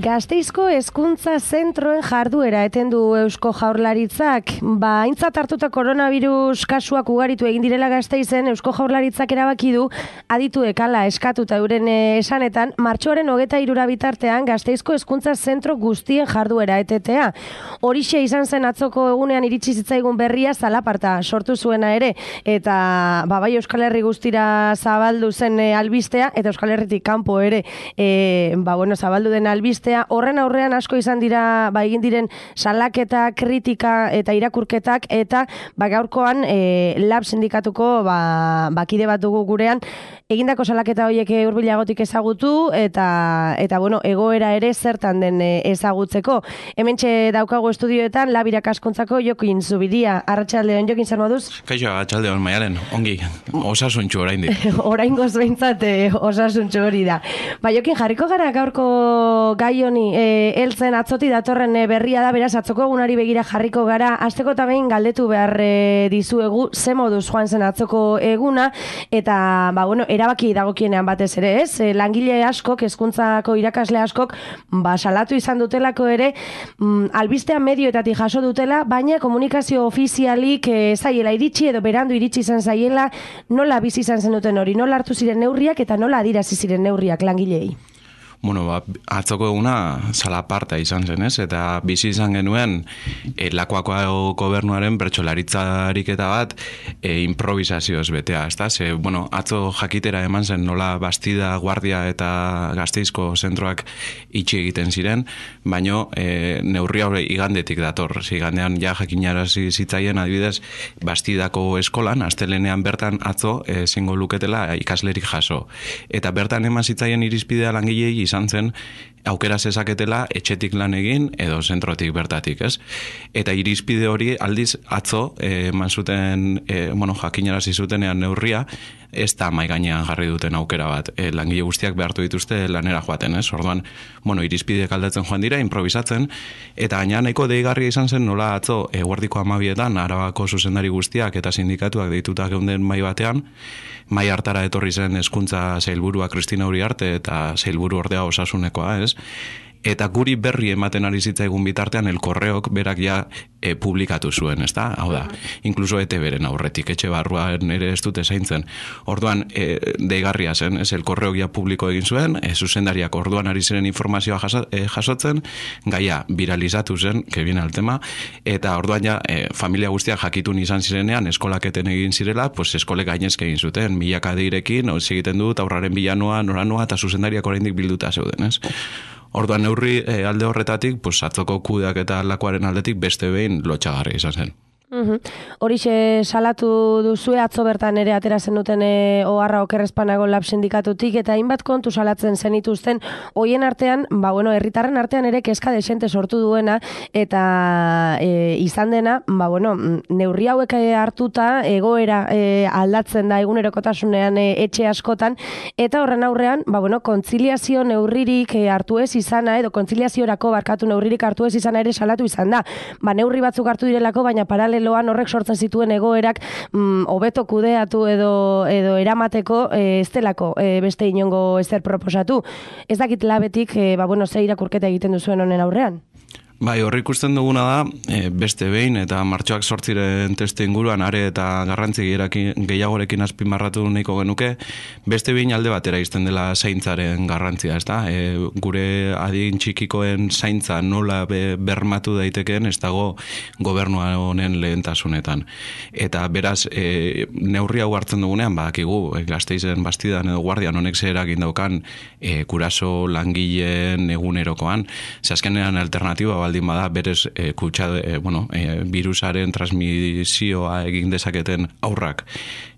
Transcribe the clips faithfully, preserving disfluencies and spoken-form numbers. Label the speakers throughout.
Speaker 1: Gasteizko hezkuntza zentroen jarduera etendu Eusko Jaurlaritzak. Ba, aintzat hartuta koronavirus kasuak ugaritu egin direla Gasteizen, Eusko Jaurlaritzak erabaki du adituek hala eskatuta euren esanetan, martxoaren hogeita hirura bitartean Gasteizko hezkuntza zentro guztien jarduera etetea. Horixe izan zen atzoko egunean iritsi zitzaigun berria zalaparta sortu zuena ere, eta ba, bai Euskal Herri guztira zabaldu zen e, albistea, eta Euskal Herritik kanpo ere e, ba, bueno, zabaldu den albistea. Horren aurrean asko izan dira ba, egin diren salaketa, kritika eta irakurketak, eta ba, gaurkoan e, lab sindikatuko ba, bakide bat dugu gurean, egindako salaketa horiek hurbilagotik ezagutu, eta eta bueno, egoera ere zertan den ezagutzeko. Hementxe daukago estudioetan lab irakaskuntzako Jokin Zubiria. Arratsaldeon, Jokin, zer moduz?
Speaker 2: Kaixo, arratsaldeon, Maialen, ongi, osasuntxu oraindik.
Speaker 1: Oraingoz behintzat osasuntxu hori da. Ba, Jokin, jarriko gara gaurko gai honi, e, eltzen atzoti datorren e, berria da, beraz, atzoko egunari begira jarriko gara. Azteko eta behin galdetu behar e, dizuegu, ze moduz joan zen atzoko eguna, eta, ba, bueno, erabaki dagokienean batez ere, ez? E, langile askok, hezkuntzako irakasle askok, ba, salatu izan dutelako ere, mm, albistea medioetatik jaso dutela, baina komunikazio ofizialik e, zaiela iritsi edo berandu iritsi izan zaiela, nola bizi izan zen duten hori, nola hartu ziren neurriak eta nola adirazi ziren neurriak langilei.
Speaker 2: Bueno, ba, atzoko eguna zalaparta izan zen, ez? Eta bizi izan genuen e, Lakuako gobernuaren bertsolaritzarik eta bat e, improvisazioz betea, ezta? Ze, bueno, atzo jakitera eman zen nola Bastida, Guardia eta Gasteizko zentroak itxi egiten ziren, baino e, neurri hori igandetik dator. Igandean ja jakinarazi zitzaien adibidez Bastidako eskolan, astelenean bertan atzo ezingo luketela ikaslerik jaso. Eta bertan eman zitzaien irizpidea langilei izan zen aukera zezaketela etxetik lan egin edo zentrotik bertatik, ez? Eta irizpide hori aldiz atzo eman eh, zuten, eh, bueno, jakinarazi zutenean neurria, ez da mai gainean jarri duten aukera bat. E, langile guztiak behartu dituzte lanera joaten, ez? Orduan, bueno, irizpideak aldatzen joan dira, improvisatzen, eta gaina nahiko deigarria izan zen nola atzo eguerdiko hamabietan Arabako zuzendari guztiak eta sindikatuak deitutak geunden mai batean, mai hartara etorri zen hezkuntza sailburua Kristina Uriarte eta sailburu ordea osasunekoa, ez? Eta guri berri ematen ari zitzaigun bitartean El Correok berak ja e, publikatu zuen, ezta? Hau da, inkluso E T Bren aurretik, etxe barruan ere ez dute zaintzen. Orduan, e, deigarria zen, ez? El Correok ja publiko egin zuen, e, zuzendariak orduan ari ziren informazioa jaso, e, jasotzen, gaia viralizatu zen, que viene al tema, eta orduan ja, e, familia guztiak jakitun izan zirenean, eskolaketen egin zirela, pues eskolek gainezke egin zuten, milaka deirekin, hori egiten dut, aurraren bilanoa, noranoa, eta zuzendariak oraindik bilduta zeuden, ez? Orduan neurri e, alde horretatik, pues, atzoko kudeak eta Lakuaren aldetik beste behin lotxagarri izan zen.
Speaker 1: Uhum. Horixe salatu duzue atzo bertan ere atera zen duten e, oharra okerrezpanago lab sindikatutik, eta hainbat kontu salatzen zenituzten, hoien artean, ba bueno, herritarren artean ere kezka desente sortu duena, eta e, izan dena, ba bueno, neurri hauek hartuta egoera e, aldatzen da egunerokotasunean e, etxe askotan, eta horren aurrean, ba bueno, kontziliazio neurririk e, hartu ez izana, edo kontziliaziorako barkatu neurririk hartu ez izana ere salatu izan da. Ba neurri batzuk hartu direlako, baina paralelo loan horrek sortzen zituen egoerak mm, hobeto kudeatu edo edo eramateko e, ez delako e, beste inongo ezer proposatu. Ez dakit labetik e, ba, bueno, ze irakurketa egiten duzuen honen aurrean.
Speaker 2: Bai, horri ikusten duguna da, e, beste behin, eta martxoak sortziren testu inguruan, are eta garrantzi gehiagorekin azpimarratu nahiko genuke, beste behin alde batera izten dela zaintzaren garrantzia, ez da? E, gure adin txikikoen zaintza nola be, bermatu daitekeen, ez dago gobernua honen lehentasunetan. Eta beraz, e, neurri hau hartzen dugunean, badakigu, e, Gasteizen, Bastidan edo Guardian honek zerak indaukan e, kuraso langileen egunerokoan, ze azkenean alternatiba baldin bada berez e, kutsa, e, bueno, e, virusaren transmisioa egin dezaketen aurrak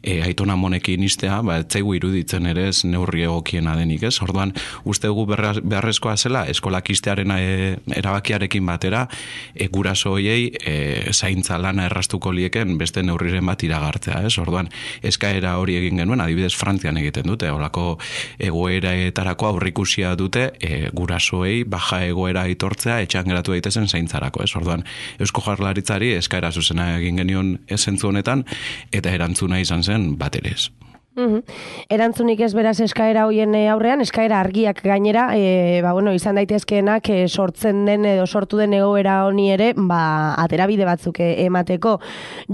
Speaker 2: e, aitona monekin istea, ba, etzaigu iruditzen ere ez neurri egokiena denik, ez? Orduan, uste dugu beharrezkoa zela, eskolak istearen e, erabakiarekin batera, e, guraso hoiei e, zaintza lana errastuko lieken beste neurriren bat iragartzea, ez? Orduan, eskaera hori egin genuen, adibidez Frantzian egiten dute, holako egoeraetarako aurrikusia dute e, gurasoei baja egoera aitortzea etxean geratu daitezen zaintzarako, ez? Orduan, Eusko Jaurlaritzari eskaera zuzena egin genion zentzu honetan, eta erantzuna izan zen bat ere ez.
Speaker 1: Uhum. Erantzunik ez beraz eskaera hoien aurrean, eskaera argiak gainera, e, ba, bueno, izan daitezkeenak e, sortzen den edo sortu den egoera honi ere, ba, aterabide batzuk e, emateko.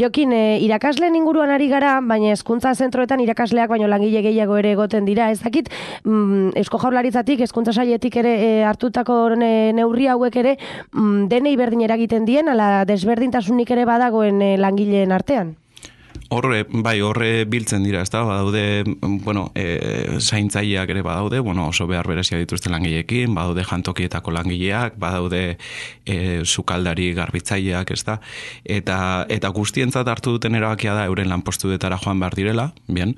Speaker 1: Jokin, e, irakasleen inguruan ari gara, baina hezkuntza zentroetan irakasleak baino langile gehiago ere egoten dira. Ez dakit, mm, Eusko Jaurlaritzatik, hezkuntza sailetik ere e, hartutako ne, neurri hauek ere, mm, denei berdin eragiten dien, ala desberdintasunik ere badagoen e, langileen artean?
Speaker 2: Horre, bai, horre biltzen dira, ez da, badaude, bueno, e, zaintzaileak ere badaude, bueno, oso behar berezia dituzte langileekin, badaude jantokietako langileak, badaude e, sukaldari garbitzaileak, ez da, eta, eta guztientzat hartu duten erabakia da euren lanpostuetara joan behar direla, bien,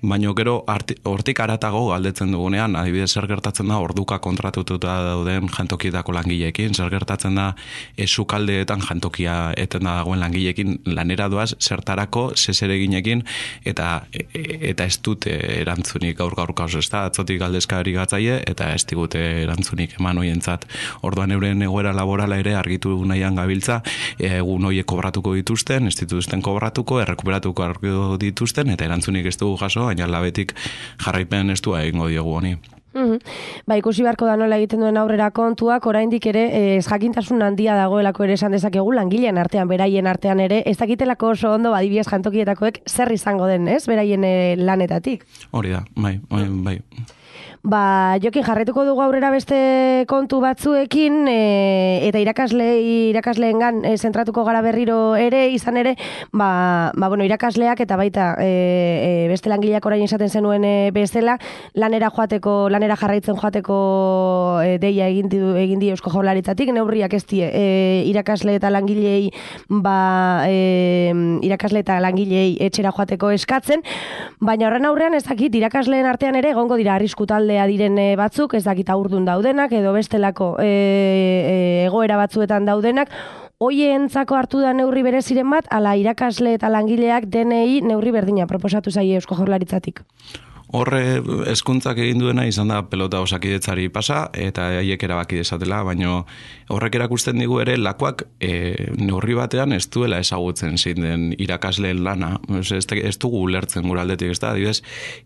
Speaker 2: baina gero hortik aratago galdetzen dugunean, adibidez zer gertatzen da orduka kontratututa dauden jantokietako langileekin, zer gertatzen da e, sukaldeetan jantokia eten da dagoen langileekin lanera doaz, zertarako, zereginekin eta eta ez dute erantzunik gaur gaur kauz, ez da, atzotik galdezkari gatzaie eta ez digute erantzunik eman hoientzat. Orduan euren egoera laborala ere argitu nahian gabiltza, egun hoiek kobratuko dituzten, ez dituzten kobratuko, errekuperatuko argiko dituzten eta erantzunik ez dugu jaso, baina labetik jarraipen ez du egingo diogu honi.
Speaker 1: Uhum. Ba, ikusi beharko da nola egiten duen aurrera kontuak, oraindik ere ez jakintasun handia dagoelako ere esan dezakegu langileen artean, beraien artean ere, ez dakitelako oso ondo adibidez jantokietakoek zer izango den, ez, beraien e, lanetatik.
Speaker 2: Hori da, bai, bai, bai.
Speaker 1: Ba, Jokin, jarretuko dugu aurrera beste kontu batzuekin, e, eta irakasle, irakasleengan e, zentratuko gara berriro ere, izan ere, ba, ba bueno, irakasleak eta baita e, e, beste langileak orain esaten zenuen e, bezala, lanera joateko, lanera jarraitzen joateko e, deia egin di, egin di Eusko Jaurlaritzatik, neurriak ez die, e, irakasle eta langilei, ba, e, irakasle eta langilei etxera joateko eskatzen, baina horren aurrean ez dakit, irakasleen artean ere egongo dira arriskutal diren batzuk, ez dakit aurdun daudenak, edo bestelako e, e, egoera batzuetan daudenak, hoientzako hartu da neurri bereziren bat, ala irakasle eta langileak denei neurri berdina proposatu zaie Eusko Jaurlaritzatik.
Speaker 2: Horre hezkuntzak egin duena izan da pelota osakidetzari pasa eta haiek erabaki desatela, baino horrek erakusten digu ere lakoak e, neurri batean ez duela ezagutzen zein den irakasleen lana. Ez, ez dugu ulertzen gure aldetik, ez da? Adibidez,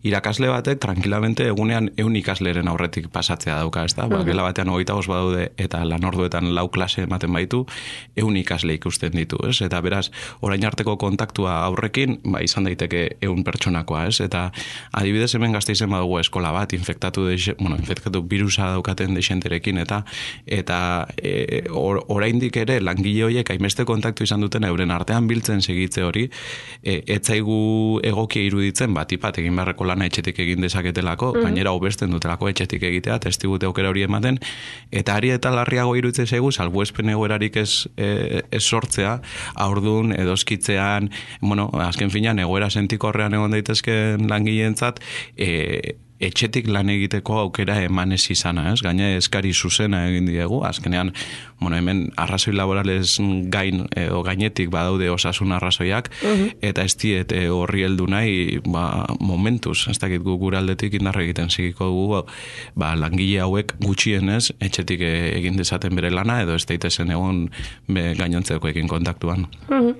Speaker 2: irakasle batek tranquilamente egunean ehun ikasleren aurretik pasatzea dauka, ez da? Ba, gela batean hogeita bost badaude eta lanorduetan lau klase ematen baitu, ehun ikasle ikusten ditu, ez? Eta beraz, orain arteko kontaktua aurrekin, ba, izan daiteke ehun pertsonakoa, ez? Eta adibidez hemen Gasteizen badugu eskola bat, infektatu, de, bueno, infektatu virusa daukaten dexenterekin, eta eta e, or, oraindik ere langile horiek hainbeste kontaktu izan duten euren artean biltzen segitze hori, e, etzaigu egokia iruditzen bat ipat egin beharreko lana etxetik egin dezaketelako, mm. gainera hobesten dutelako etxetik egitea, testigute aukera hori ematen, eta ari eta larriago iruditzen zaigu, salbuespen egoerarik ez, e, ez sortzea, aurdun, edoskitzean, bueno, azken finean, egoera sentikorrean egon daitezken langileentzat, E, etxetik lan egiteko aukera emanez izana, ez? Gaina eskari zuzena egin diegu, azkenean, bueno, hemen arrazoi laborales gain edo gainetik badaude osasun arrazoiak, uh-huh. eta ez diet horri heldu nahi, ba, momentuz, ez dakit gu gure aldetik indarra egiten zigiko dugu, ba, langile hauek gutxienez, etxetik egin dezaten bere lana, edo ez daitezen egon gainontzekoekin kontaktuan.
Speaker 1: Uh-huh.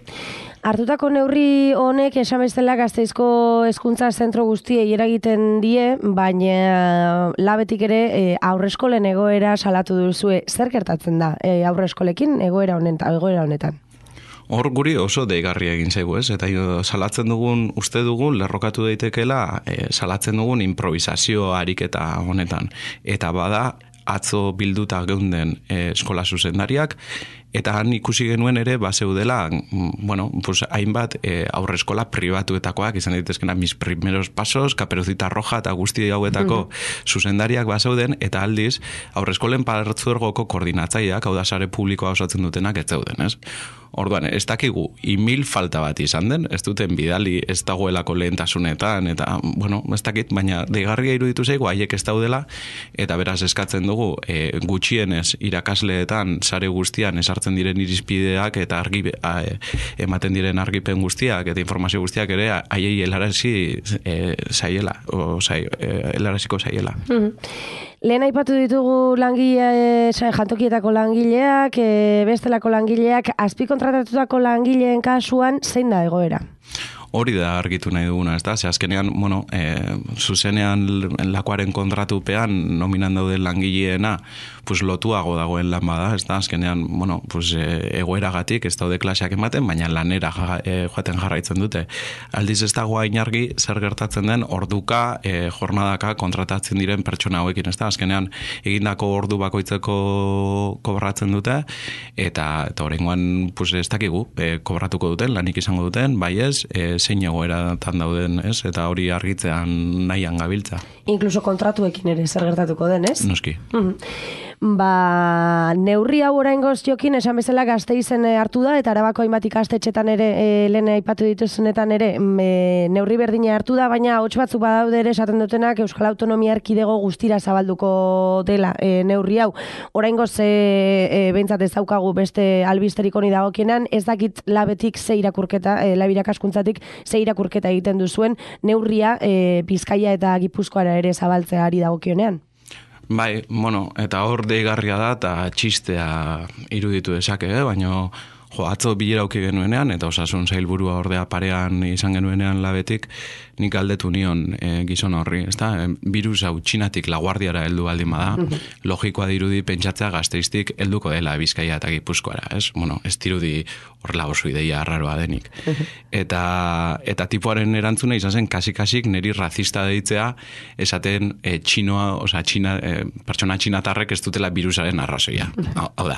Speaker 1: Hartutako neurri honek esan bezala Gasteizko hezkuntza zentro guztiei eragiten die, baina labetik ere e, aurreskolen egoera salatu duzue. Zer gertatzen da e, aurreskolekin egoera honetan? Egoera honetan?
Speaker 2: Hor guri oso deigarria egin zaigu, ez? Eta salatzen dugun, uste dugun, lerrokatu daitekeela, e, salatzen dugun improvisazio ariketa honetan. Eta bada, atzo bilduta geunden e, eskola zuzendariak, eta han ikusi genuen ere, bazeudela, bueno, pues, hainbat e, aurreskola pribatuetakoak, izan daitezkena mis primeros pasos, Kaperucita Roja eta guzti hauetako mm-hmm. zuzendariak bazeuden, eta aldiz, aurreskolen partzuergoko koordinatzaileak, hau da sare publikoa osatzen dutenak ez zeuden, ez? Orduan, ez dakigu, imil falta bat izan den, ez duten bidali ez dagoelako lehentasunetan, eta, bueno, ez dakit, baina deigarria iruditu zaigu, haiek ez daudela, eta beraz eskatzen dugu, e, gutxienez irakasleetan, sare guztian, esartzen diren irizpideak, eta argi, a, e, ematen diren argipen guztiak, eta informazio guztiak ere, haiei helarazi e, zaiela, o zai, e, helaraziko zaiela.
Speaker 1: Mm-hmm. Lehen aipatu ditugu langile, jantokietako langileak, e, bestelako langileak, azpikontratatutako langileen kasuan zein da egoera?
Speaker 2: hori da argitu nahi duguna, ez da? Ze azkenean, bueno, e, zuzenean lakuaren kontratupean nominan dauden langileena, pues lotuago dagoen lan bada, ez da? Azkenean, bueno, pues e, egoeragatik ez daude klaseak ematen, baina lanera ja, e, joaten jarraitzen dute. Aldiz ez dago hain argi zer gertatzen den orduka, e, jornadaka kontratatzen diren pertsona hauekin, ez da? Azkenean egindako ordu bakoitzeko kobratzen dute, eta eta oraingoan pues ez dakigu, e, kobratuko duten, lanik izango duten, bai ez, e, zein egoeratan dauden, ez? Eta hori argitzean nahian gabiltza.
Speaker 1: Inkluso kontratuekin ere zer gertatuko den, ez?
Speaker 2: Noski.
Speaker 1: Mm-hmm. Ba, neurri hau oraingoz jokin, esan bezala Gasteizen hartu da, eta Arabako hainbat ikastetxetan ere, e, lehen aipatu dituzunetan ere, e, neurri berdina hartu da, baina hots batzuk badaude ere esaten dutenak Euskal Autonomia Erkidego guztira zabalduko dela e, neurri hau. Oraingoz e, e, behintzat ez daukagu beste albisterik honi dagokienan, ez dakit labetik ze irakurketa, e, lab irakaskuntzatik ze irakurketa egiten duzuen neurria e, Bizkaia eta Gipuzkoara ere zabaltzea ari dagokionean.
Speaker 2: Bai, bueno, eta hor deigarria da eta txistea iruditu dezake, eh? Baina jo, atzo bilera auki genuenean, eta osasun sailburua ordea parean izan genuenean labetik, nik aldetu nion e, gizon horri, ezta? E, virus hau Txinatik laguardiara heldu baldin bada, logikoa dirudi pentsatzea Gasteiztik helduko dela Bizkaia eta Gipuzkoara, ez? Bueno, ez dirudi horrela oso ideia arraroa denik. Eta, eta tipoaren erantzuna izan zen kasik-kasik niri razista deitzea esaten e, txinoa, osea, txina, e, pertsona txinatarrek ez dutela virusaren arrazoia. Hau, hau da,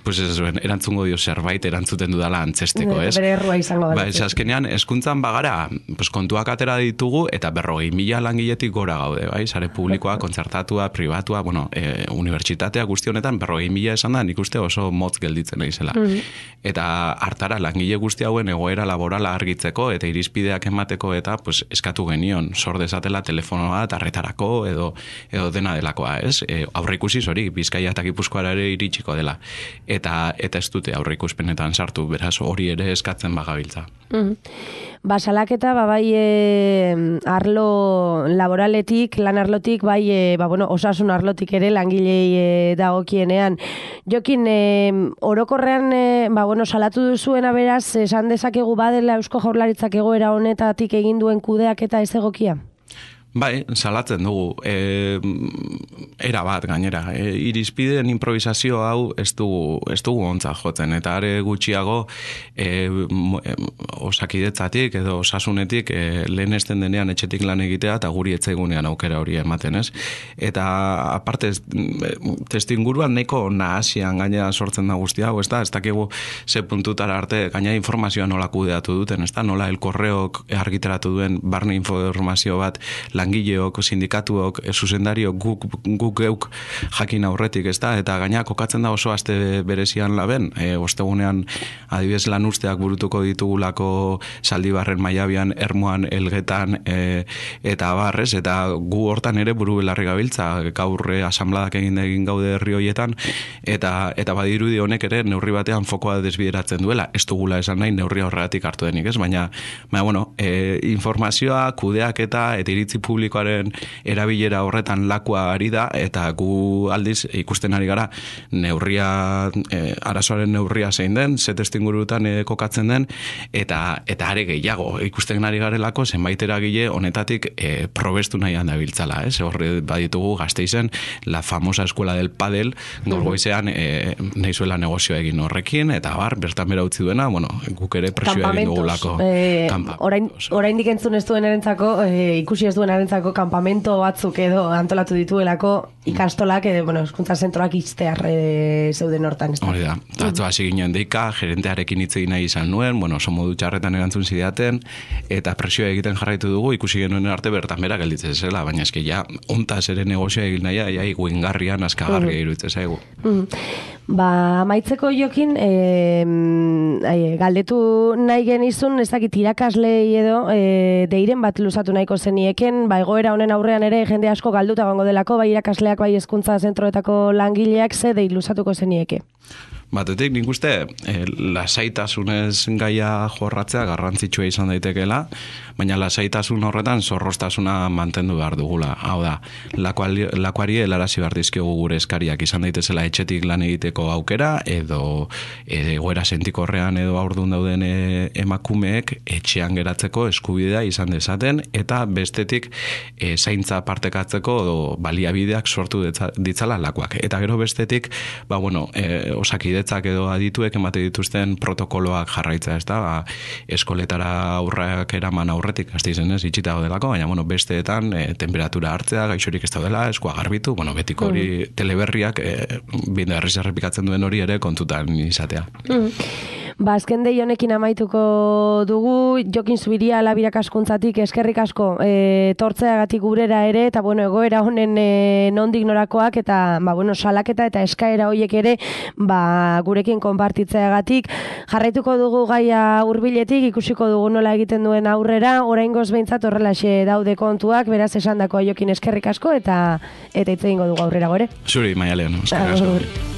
Speaker 2: pues ez zuen, erantzungo dio zerbait erantzuten dudala antzesteko, ez?
Speaker 1: Bere errua izango da.
Speaker 2: Ba, ez azkenean, eskuntzan bagara, pues, kontuak atera ditugu, eta berrogei mila langiletik gora gaude, bai? Sare publikoa, kontzertatua, pribatua, bueno, e, unibertsitatea guzti honetan, berrogei mila esan da, nik uste oso motz gelditzen naizela. Mm-hmm. Eta hartara, langile guzti hauen egoera laborala argitzeko, eta irizpideak emateko, eta pues, eskatu genion, sor dezatela telefonoa, tarretarako, edo, edo dena delakoa, ez? E, aurreikusiz hori, Bizkaia eta Gipuzkoara ere iritsiko dela. Eta, eta ez dute aurreikuspenetan sartu, beraz hori ere eskatzen bagabiltza.
Speaker 1: Mm-hmm. Ba, salaketa, ba, bai e, arlo laboraletik, lan arlotik, bai e, ba, bueno, osasun arlotik ere langilei e, dagokienean. Jokin, e, orokorrean, e, ba, bueno, salatu duzuena beraz, esan dezakegu badela Eusko Jaurlaritzak egoera honetatik egin duen kudeak eta ez egokia?
Speaker 2: Bai, salatzen dugu. E, era bat gainera. E, irizpideen improvisazio hau ez dugu, ez dugu ontza jotzen. Eta are gutxiago e, osakidetzatik edo osasunetik e, lehen esten denean etxetik lan egitea eta guri etzaigunean aukera hori ematen, ez? Eta aparte testinguruan nahiko nahasian gainera sortzen da guztia hau, ez da? Ez dakigu ze puntutara arte gainera informazioa nola kudeatu duten, ez da? Nola el korreok argitaratu duen barne informazio bat langileok, sindikatuok, zuzendariok, guk, guk geuk jakin aurretik, ez da? Eta gaina kokatzen da oso aste berezian laben, e, ostegunean adibidez lan usteak burutuko ditugulako Zaldibarren, Maiabian, Ermuan, Elgetan, e, eta barrez, eta gu hortan ere buru belarri gabiltza, gaurre asambladak egin egin gaude herri hoietan, eta, eta badirudi honek ere neurri batean fokoa desbideratzen duela, ez dugula esan nahi neurri horregatik hartu denik, ez? Baina, baina bueno, e, informazioa, kudeak eta eta iritzi publikoaren erabilera horretan lakua ari da, eta gu aldiz ikusten ari gara neurria, e, arazoaren neurria zein den, ze testingurutan e, kokatzen den, eta eta are gehiago ikusten ari garelako zenbait eragile honetatik e, probestu nahian dabiltzala, ez? Horre baditugu Gasteizen la famosa escuela del padel, gaur goizean e, nahizuela negozio egin horrekin, eta bar, bertan bera utzi duena, bueno, guk ere presioa egin dugulako.
Speaker 1: Eh, orain, oraindik entzun ez duen erentzako, e, ikusi ez duen erentzako kanpamento batzuk edo antolatu dituelako ikastolak, edo, bueno, eskuntza zentroak iztear e, zeuden hortan.
Speaker 2: Hori da, atzo hasi ginen deika, gerentearekin hitz egin nahi izan nuen, bueno, oso modu txarretan erantzun zidaten, eta presioa egiten jarraitu dugu, ikusi genuen arte bertan bera gelditzen zela, baina eski ja, ontaz ere negozioa egin nahi, ja, iguingarrian, askagarria mm. iruditzen zaigu.
Speaker 1: Mm. Ba, amaitzeko Jokin, e, e, galdetu nahi genizun, ez dakit irakaslei edo, e, deiren bat luzatu nahiko zenieken, ba, egoera honen aurrean ere jende asko galduta gongo delako, bai irakasleak, bai hezkuntza zentroetako langileak, ze dei luzatuko zenieke?
Speaker 2: Batetik, nik uste, e, lasaitasunez gaia jorratzea garrantzitsua izan daitekeela, baina lasaitasun horretan zorroztasuna mantendu behar dugula. Hau da, lakuari, lakuari helarazi behar dizkiogu gure eskariak izan daitezela etxetik lan egiteko aukera, edo egoera sentikorrean edo haurdun dauden e, emakumeek etxean geratzeko eskubidea izan dezaten, eta bestetik e, zaintza partekatzeko edo baliabideak sortu ditzala lakuak. Eta gero bestetik, ba, bueno, e, osakidetzak edo adituek emate dituzten protokoloak jarraitza, ez da, ba, eskoletara aurrak eraman aurretik, hasti zenez, itxita delako, baina, bueno, besteetan e, temperatura hartzea, gaixorik ez daudela, eskua garbitu, bueno, betiko hori mm. teleberriak e, binde herriz errepikatzen duen hori ere kontutan izatea.
Speaker 1: Mm. Ba, azken dei honekin amaituko dugu, Jokin Zubiria Labirak askuntzatik eskerrik asko e, tortzeagatik gurera ere, eta bueno, egoera honen e, nondik norakoak, eta ba, bueno, salaketa eta eskaera hoiek ere ba, gurekin konpartitzeagatik. Jarraituko dugu gaia hurbiletik, ikusiko dugu nola egiten duen aurrera, oraingoz behintzat horrelaxe daude kontuak, beraz esandako Jokin eskerrik asko, eta eta hitz egingo dugu aurrera gore.
Speaker 2: Zuri, Maialen, eskerrik asko.